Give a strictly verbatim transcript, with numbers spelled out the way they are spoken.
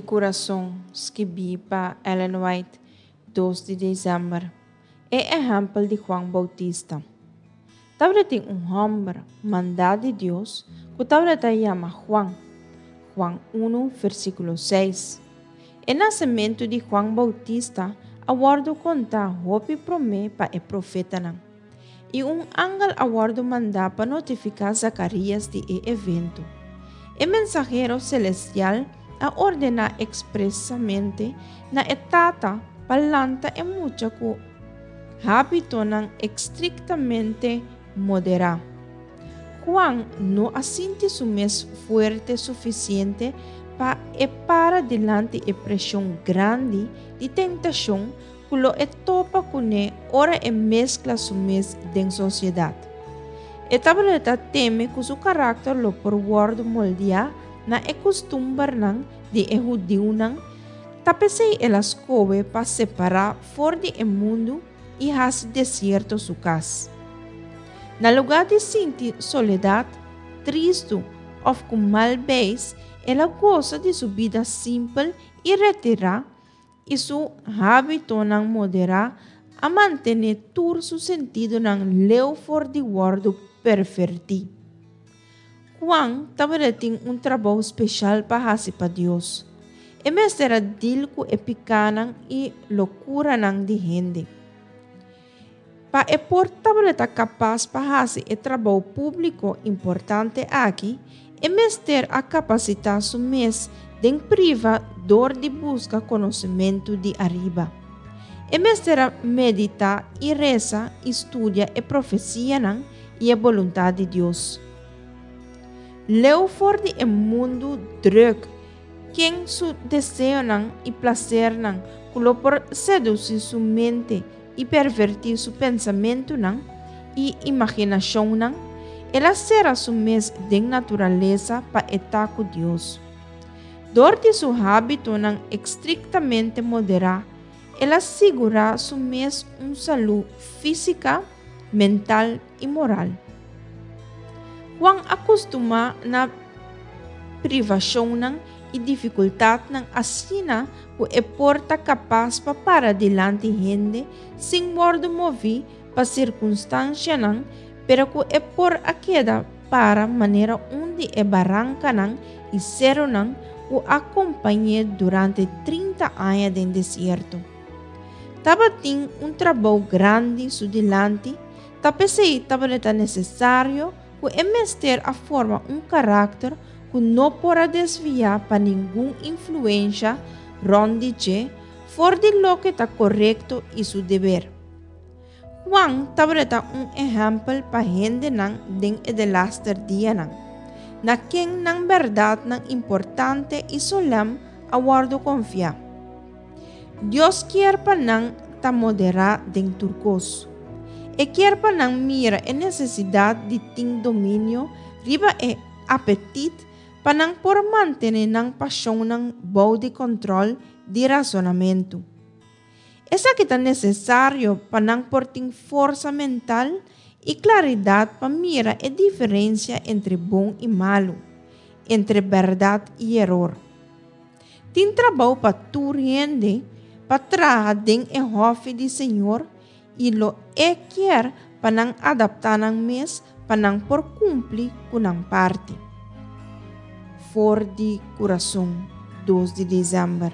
Kurason, skibí pa Ellen White, dos di desèmber. E ehèmpel di Juan Boutista. Tabatin un hòmber mandá di Dios ku tabata yama Juan. Juan un, versíkulo seis. E nasementu di Juan Boutista a wòrdu kontá hopi promé pa e profetanan. I un angel a wòrdu mandá pa notifiká Zakarias di e evento. E mensahero selestial a ordená ekspresamente na e tata pa lanta e mucha ku hábitonan estriktamente moderá. Juan no a sinti su mes fuerte sufisiente pa e para dilanti e preshon grandi di tentashon ku lo e topa kuné ora e meskla su mes den sosiedat. E tabata teme ku su karakter lo por wòrdu moldiá na e kustumbernan di e hudiunan, ta p'esei el a skohe pa separá for di e mundu i hasi desierto su kas. Na lugá di sinti soledat, tristu òf ku mal beis, el a gosa di su bida simpel i retirá i su hábitonan moderá a mantené tur su sentidonan leu for di wòrdu pervertí. Juan tabatin un trabou spesial pa hasi pa Dios. E mester a dil ku e pikánan i lokuranan di hende. Pa e por tabata kapas pa hasi e trabou públiko importante aki, e mester a kapasitá su mes den privá dor di buska konosementu di ariba. E mester a meditá i resa i studia e profesianan i e boluntat di Dios. Leu for di e mundu drùk, ken su deseonan i plasernan ku lo por sedusí su mente i pervertí su pensamentunan i imaginashonnan, el a sera su mes den naturalesa pa e ta ku Dios. Dor di su hábitonan estriktamente moderá, el a sigurá su mes un salú físiko, mental i moral. Juan a kustumá na privashonnan i difikultatnan asina ku e por ta kapas pa para dilanti hende sin wòrdu moví pa sirkunstansianan, pero ku e por a keda para manera un di e barankanan i serunan ku a kompañ'é durante trinta aña den desierto. Tabatin un trabou grandi su dilanti, ta p'esei tabata nesesario ku e mester a forma un karakter ku no por a desviá pa ningun influensia rònt di dje for di loke ta korekto i su deber. Juan tabata un ehèmpel pa hendenan den e delaster dianan, na ken nan bèrdatnan importante i solèm a wòrdu konfiá. Dios kier pa nan ta moderá den tur kos. E kier pa nan mira e nesesidat di tin dominio riba e apetit pa nan por mantené nan pashonnan bou di kòntròl di rasonamentu. Esaki ta nesesario pa nan por tin forsa mental i klaridat pa mira e diferensia entre bon i malu, entre bèrdat i eror. Tin trabou pa tur hende pa traha den e hòfi di Señor i lo e kier pa nan adaptá nan mes pa nan por kumpli ku nan parti. For di Kurason, dos di desèmber.